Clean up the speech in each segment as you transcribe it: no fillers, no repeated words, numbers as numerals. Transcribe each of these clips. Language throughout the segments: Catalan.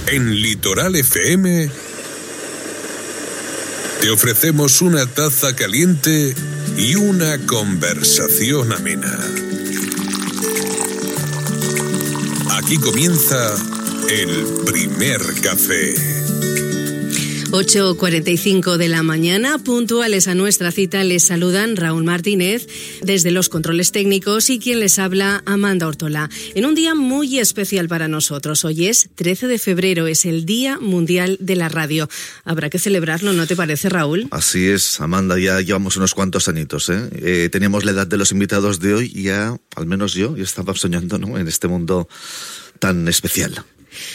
En Litoral FM te ofrecemos una taza caliente y una conversación amena. Aquí comienza el primer café. 8:45 de la mañana, puntuales a nuestra cita, les saludan Raúl Martínez desde los controles técnicos y quien les habla, Amanda Ortola. En un día muy especial para nosotros, hoy es 13 de febrero, es el Día Mundial de la Radio. Habrá que celebrarlo, ¿no te parece, Raúl? Así es, Amanda, ya llevamos unos cuantos añitos, teníamos la edad de los invitados de hoy y ya, al menos yo estaba soñando, ¿no?, en este mundo tan especial.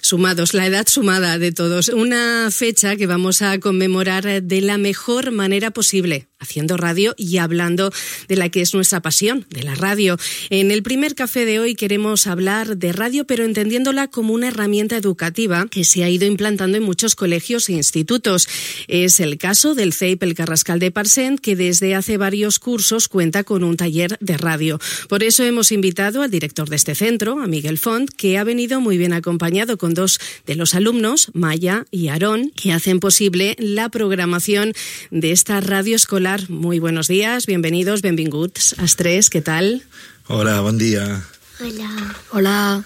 Sumados, la edad sumada de todos. Una fecha que vamos a conmemorar de la mejor manera posible, haciendo radio y hablando de la que es nuestra pasión, de la radio. En el primer café de hoy queremos hablar de radio, pero entendiéndola como una herramienta educativa que se ha ido implantando en muchos colegios e institutos. Es el caso del CEIP El Carrascal de Parcent, que desde hace varios cursos cuenta con un taller de radio. Por eso hemos invitado al director de este centro, a Miguel Font, que ha venido muy bien acompañado con dos de los alumnos, Maya y Aarón, que hacen posible la programación de esta radio escolar. Muy buenos días, bienvenidos, benvinguts als tres, què tal? Hola, bon dia. Hola. Hola.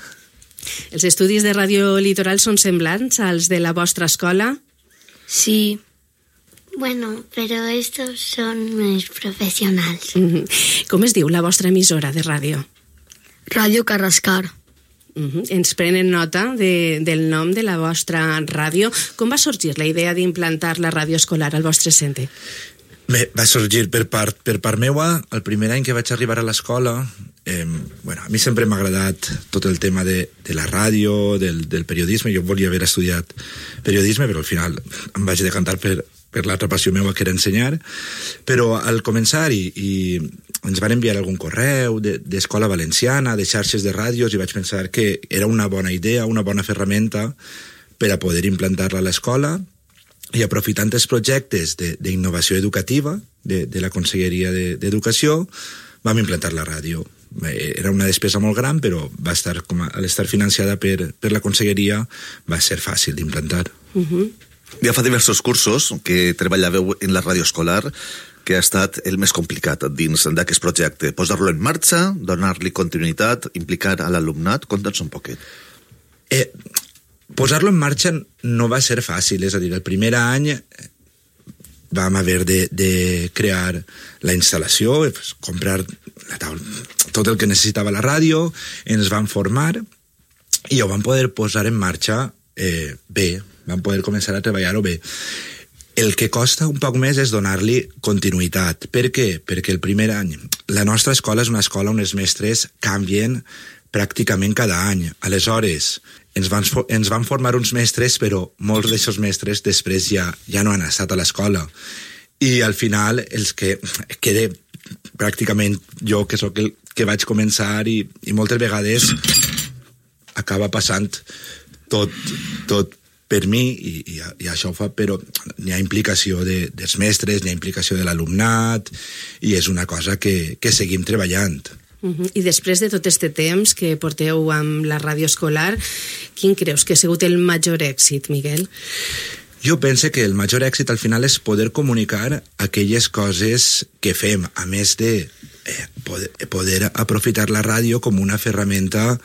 Els estudis de Ràdio Litoral són semblants als de la vostra escola? Sí. Bueno, pero estos son més professionals. Com es diu la vostra emissora de ràdio? Ràdio Carrascar. Ens prenen nota del nom de la vostra ràdio. Com va sorgir la idea d'implantar la ràdio escolar al vostre centre? Bé, va sorgir per part meua. El primer any que vaig arribar a l'escola, a mi sempre m'ha agradat tot el tema de la ràdio, del periodisme. Jo volia haver estudiat periodisme, però al final em vaig decantar per l'altra passió meva, que era ensenyar. Però al començar i ens van enviar algun correu d'escola valenciana, de xarxes de ràdios, i vaig pensar que era una bona idea, una bona ferramenta per a poder implantar-la a l'escola, i aprofitant els projectes d'innovació educativa de la Conselleria d'Educació vam implantar la ràdio. Era una despesa molt gran, però va estar, al estar financiada per la Conselleria, va ser fàcil d'implantar. Ja fa diversos cursos que treballàveu en la ràdio escolar. Que ha estat el més complicat dins d'aquest projecte? Posar-lo en marxa, donar-li continuïtat, implicar a l'alumnat? Conta'ns un poquet. Posar-lo en marxa no va ser fàcil, és a dir, el primer any vam haver de crear la instal·lació, comprar la taula, tot el que necessitava la ràdio, ens vam formar i ho vam poder posar en marxa bé, vam poder començar a treballar-ho bé. El que costa un poc més és donar-li continuïtat. Per què? Perquè el primer any, la nostra escola és una escola on els mestres canvien pràcticament cada any. Aleshores, ens van formar uns mestres, però molts d'aquests mestres després ja no han estat a l'escola. I al final, els que quede pràcticament jo, que sóc el que vaig començar, i moltes vegades acaba passant tot per mi, i això ho fa, però n'hi ha implicació dels mestres, n'hi ha implicació de l'alumnat, i és una cosa que seguim treballant. I després de tot este temps que porteu amb la ràdio escolar, quin creus que ha sigut el major èxit, Miguel? Jo penso que el major èxit al final és poder comunicar aquelles coses que fem, a més de poder aprofitar la ràdio com una ferramenta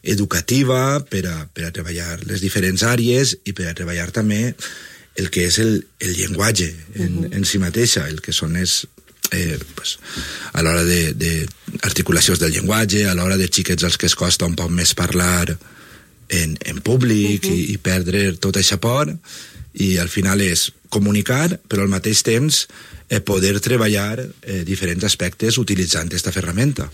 educativa per a treballar les diferents àrees i per a treballar també el que és el llenguatge en si mateixa, el que són a l'hora d'articulacions del llenguatge, a l'hora de xiquets als que es costa un poc més parlar en públic i perdre tot això por, i al final és comunicar, però al mateix temps poder treballar diferents aspectes utilitzant aquesta ferramenta.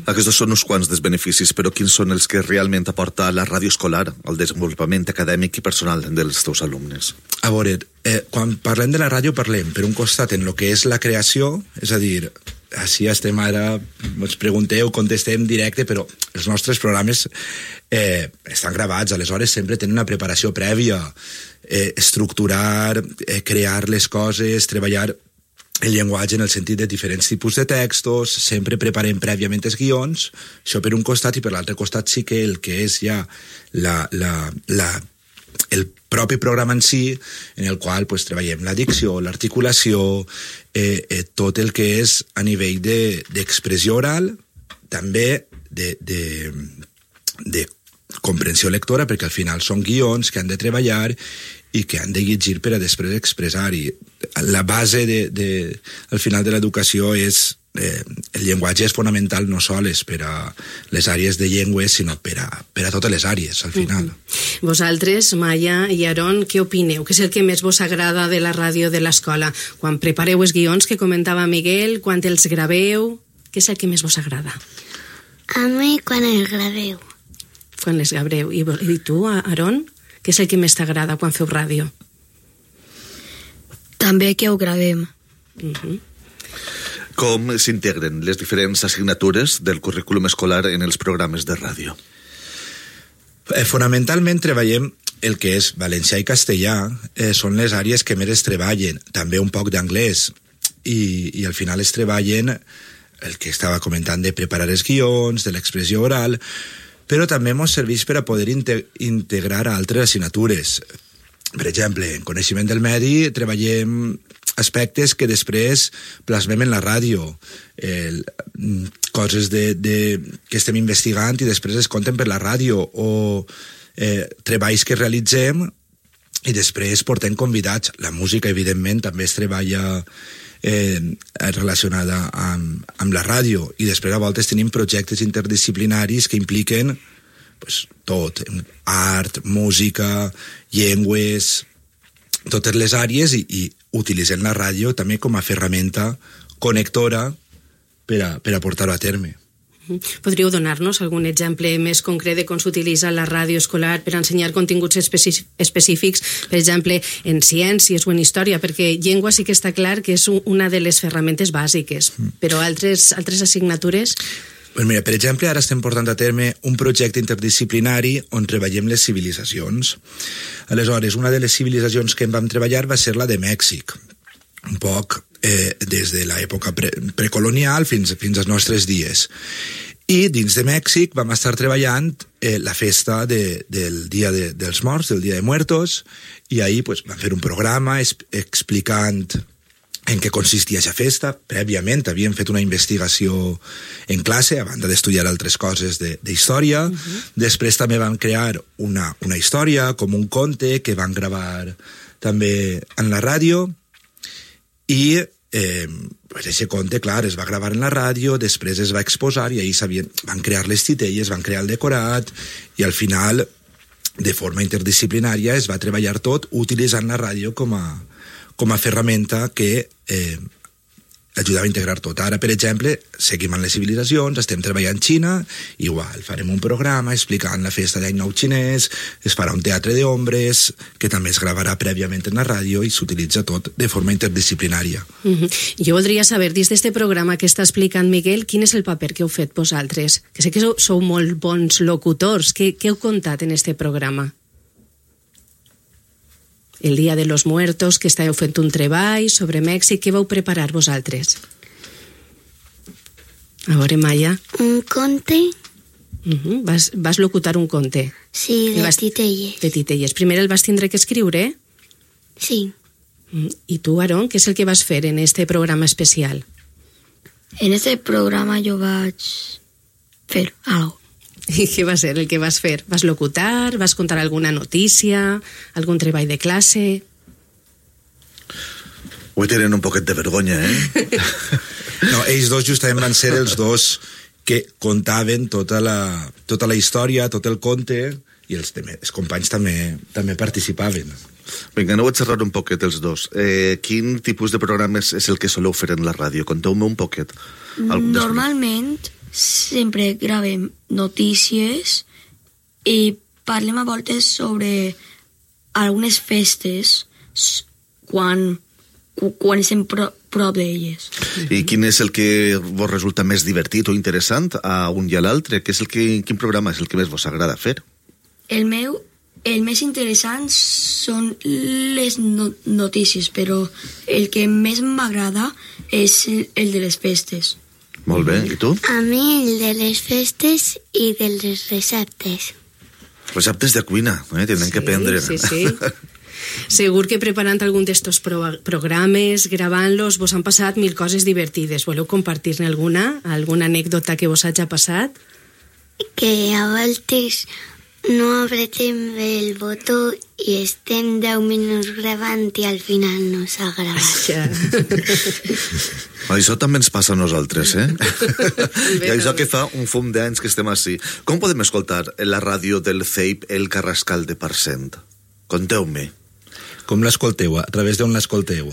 Aquests són uns quants dels beneficis, però quins són els que realment aporta la ràdio escolar al desenvolupament acadèmic i personal dels teus alumnes? A veure, quan parlem de la ràdio parlem, per un costat, en el que és la creació, és a dir, així estem ara, ens pregunteu, contestem directe, però els nostres programes estan gravats, aleshores sempre tenen una preparació prèvia, estructurar, crear les coses, treballar el llenguatge en el sentit de diferents tipus de textos, sempre preparem prèviament els guions, això per un costat, i per l'altre costat sí que el que és ja el propi programa en si, en el qual pues, treballem la dicció, l'articulació, tot el que és a nivell d'expressió oral, també de comprensió lectora, perquè al final són guions que han de treballar i que han de llegir per a després expressar. I la base al final de l'educació és el llenguatge és fonamental no sols per a les àrees de llengües, sinó per a totes les àrees, al final. Vosaltres, Maya i Aaron, què opineu? Què és el que més vos agrada de la ràdio de l'escola? Quan prepareu els guions que comentava Miguel, quan els graveu, què és el que més vos agrada? A mi quan els graveu. Quan les graveu. I tu, Aaron? Què és el que més t'agrada quan feu ràdio? També que ho gravem. Com s'integren les diferents assignatures del currículum escolar en els programes de ràdio? Fonamentalment treballem el que és valencià i castellà, són les àrees que més es treballen, també un poc d'anglès, i al final es treballen el que estava comentant de preparar els guions, de l'expressió oral, però també ens serveix per a poder integrar altres assignatures. Per exemple, en coneixement del medi treballem aspectes que després plasmem en la ràdio, coses que estem investigant i després es conten per la ràdio, o treballs que realitzem i després portem convidats. La música, evidentment, també es treballa relacionada amb la ràdio, i després a voltes tenim projectes interdisciplinaris que impliquen pues, tot, art, música, llengües, totes les àrees, i utilitzem la ràdio també com a ferramenta connectora per a portar-ho a terme. Podríeu donar-nos algun exemple més concret de com s'utilitza la ràdio escolar per ensenyar continguts específics, per exemple, en ciències o en història, perquè llengua sí que està clar que és una de les ferramentes bàsiques, però altres assignatures... Pues mira, per exemple, ara estem portant a terme un projecte interdisciplinari on treballem les civilitzacions. Aleshores, una de les civilitzacions que en vam treballar va ser la de Mèxic, un poc des de l'època precolonial fins als nostres dies. I dins de Mèxic vam estar treballant la festa del Dia dels Morts, del Dia de Muertos, i ahir pues, vam fer un programa explicant en què consistia aquesta festa. Prèviament havíem fet una investigació en classe, a banda d'estudiar altres coses d'història. Després també vam crear una història, com un conte, que van gravar també en la ràdio, i aquest conte, clar, es va gravar en la ràdio, després es va exposar, i ahir van crear les titelles, van crear el decorat, i al final, de forma interdisciplinària, es va treballar tot utilitzant la ràdio com a ferramenta que ajudava a integrar tot. Ara, per exemple, seguim amb les civilitzacions, estem treballant a Xina, igual, farem un programa explicant la festa d'any nou xinès, es farà un teatre d'ombres, que també es gravarà prèviament en la ràdio i s'utilitza tot de forma interdisciplinària. Jo voldria saber, dins d'este programa que està explicant Miguel, quin és el paper que heu fet vosaltres? Que sé que sou molt bons locutors. Què heu contat en este programa? El Dia de los Muertos, que estàveu fent un treball sobre Mèxic, què vau preparar vosaltres? A veure, Maya. Un conte. Vas locutar un conte. Sí, de titelles. De titelles. Primer el vas tindre que escriure? Sí. I tu, Aaron, què és el que vas fer en este programa especial? En este programa jo vaig fer algo. I què va ser el que vas fer? Vas locutar? Vas contar alguna notícia? Algun treball de classe? Avui tenen un poquet de vergonya, No, ells dos justament van ser els dos que contaven tota la història, tot el conte, i els companys també participaven. Vinga, aneu a xerrar un poquet els dos. Quin tipus de programes és el que soleu fer en la ràdio? Conteu-me un poquet. Normalment sempre gravem notícies i parlem a voltes sobre algunes festes quan estem prop d'elles. I quin és el que vos resulta més divertit o interessant a un i a l'altre? Quin programa és el que més vos agrada fer? El més interessant són les notícies, però el que més m'agrada és el de les festes. Molt bé, i tu? A mi el de les festes i de les receptes. Receptes de cuina, tenen que aprendre. Sí. Segur que preparant algun d'estos programes, gravant-los, vos han passat mil coses divertides. Voleu compartir-ne alguna? Alguna anècdota que vos hagi passat? Que a voltes no apretem bé el botó i estem 10 minuts gravant i al final no s'ha gravat. Això també ens passa a nosaltres, I això que fa un fum d'anys que estem així. Com podem escoltar en la ràdio del CEIP el Carrascal de Parcent? Conteu-me. Com l'escolteu? A través d'on l'escolteu?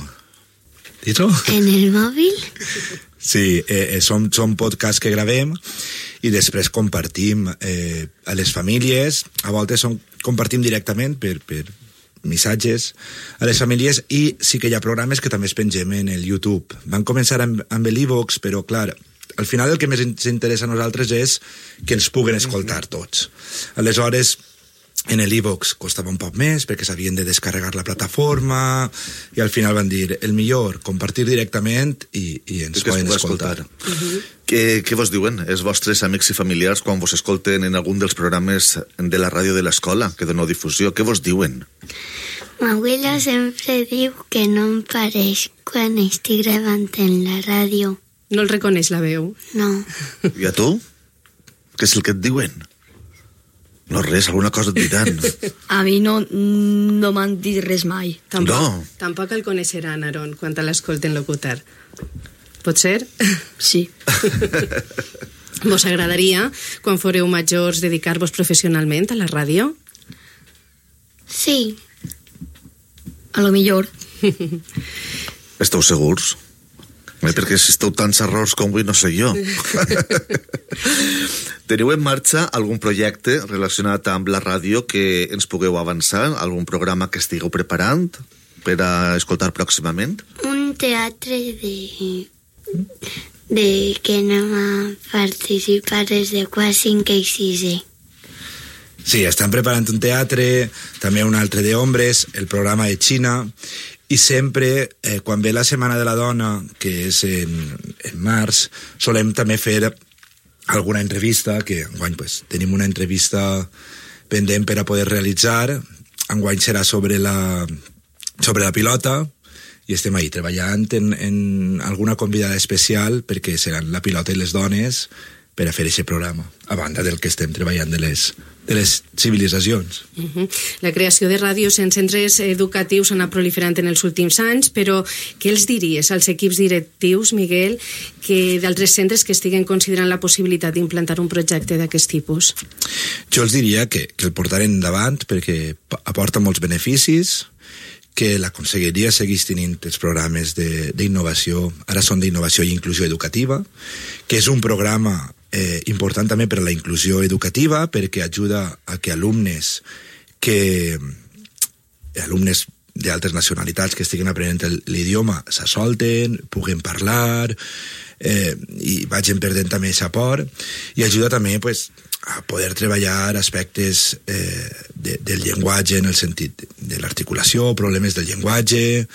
Dit-ho? En el mòbil? Sí, són podcasts que gravem i després compartim a les famílies. A voltes compartim directament per missatges a les famílies, i sí que hi ha programes que també es pengem en el YouTube. Van començar amb l'e-box, però clar, al final el que més ens interessa a nosaltres és que ens puguen escoltar tots. Aleshores, en l'e-box costava un poc més perquè s'havien de descarregar la plataforma i al final van dir el millor, compartir directament i ens poden escoltar. Què vos diuen els vostres amics i familiars quan vos escolten en algun dels programes de la ràdio de l'escola que doneu difusió? Què vos diuen? M'abuela sempre diu que no em pareix quan estic gravant en la ràdio. No el reconeix la veu? No. I a tu? Què és el que et diuen? No res, alguna cosa et diran. A mi no m'han dit res mai. Tampoc el coneixeran, Aaron, quan l'escolten locutar. Pot ser? Sí. Vos agradaria, quan foreu majors, dedicar-vos professionalment a la ràdio? Sí. A lo millor. Esteu segurs? Perquè si esteu tants errors com avui no sé jo. Teniu en marxa algun projecte relacionat amb la ràdio que ens pugueu avançar? Algun programa que estigueu preparant per a escoltar pròximament? Un teatre de que anem a participar des de quart, 5 i 6è. Sí, estan preparant un teatre, també un altre d'ombres, el programa de Xina, i sempre, quan ve la Setmana de la Dona, que és en març, solem també fer alguna entrevista, que enguany tenim una entrevista pendent per a poder realitzar. Enguany serà sobre la pilota, i estem ahí treballant en alguna convidada especial, perquè seran la pilota i les dones, per a fer aquest programa, a banda del que estem treballant de les civilitzacions. La creació de ràdios en centres educatius ha anat proliferant en els últims anys, però què els diries als equips directius, Miguel, que d'altres centres que estiguen considerant la possibilitat d'implantar un projecte d'aquest tipus? Jo els diria que el portaren endavant perquè aporta molts beneficis, que la conselleria segueix tenint els programes d'innovació, ara són d'innovació i inclusió educativa, que és un programa important també per a la inclusió educativa, perquè ajuda a que alumnes d'altres nacionalitats que estiguen aprenent l'idioma s'assolten, puguen parlar, i vagin perdent també aquest aport, i ajuda també a poder treballar aspectes del llenguatge en el sentit de l'articulació, problemes del llenguatge.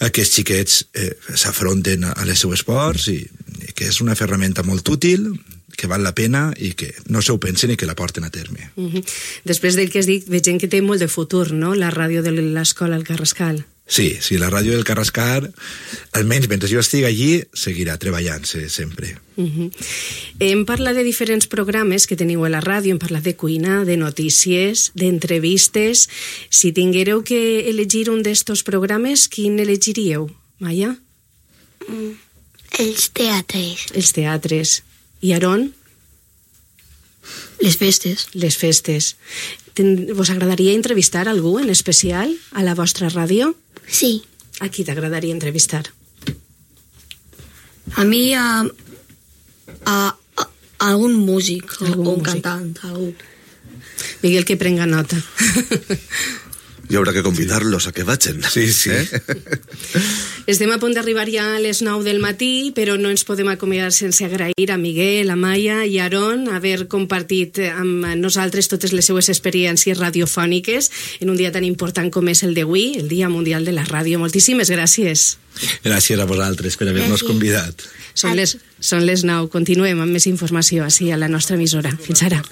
Aquests xiquets s'afronten a les seues ports, i que és una ferramenta molt útil, que val la pena i que no s'ho pensen i que la porten a terme. Després del que has dit, veig que té molt de futur, no?, la ràdio de l'escola al Carrascal. Sí, la ràdio del Carrascal, almenys mentre jo estigui allí, seguirà treballant-se sempre. Hem parlat de diferents programes que teniu a la ràdio, hem parlat de cuina, de notícies, d'entrevistes. Si tinguéreu que elegir un d'estos programes, quin elegiríeu, Maia? Els teatres. Els teatres. I Aaron? Les festes. Les festes. Vos agradaria entrevistar algú en especial a la vostra ràdio? Sí. A qui t'agradaria entrevistar? A mi a algun músic o un cantant. Miguel, que prenga nota. Hi haurà que convidar-los a que vagin. Sí. Estem a punt d'arribar ja a les 9 del matí, però no ens podem acomiadar sense agrair a Miguel, a Maia i a Aaron haver compartit amb nosaltres totes les seues experiències radiofòniques en un dia tan important com és el d'avui, el Dia Mundial de la Ràdio. Moltíssimes gràcies. Gràcies a vosaltres per haver-nos convidat. Són les 9. Continuem amb més informació així a la nostra emissora. Fins ara.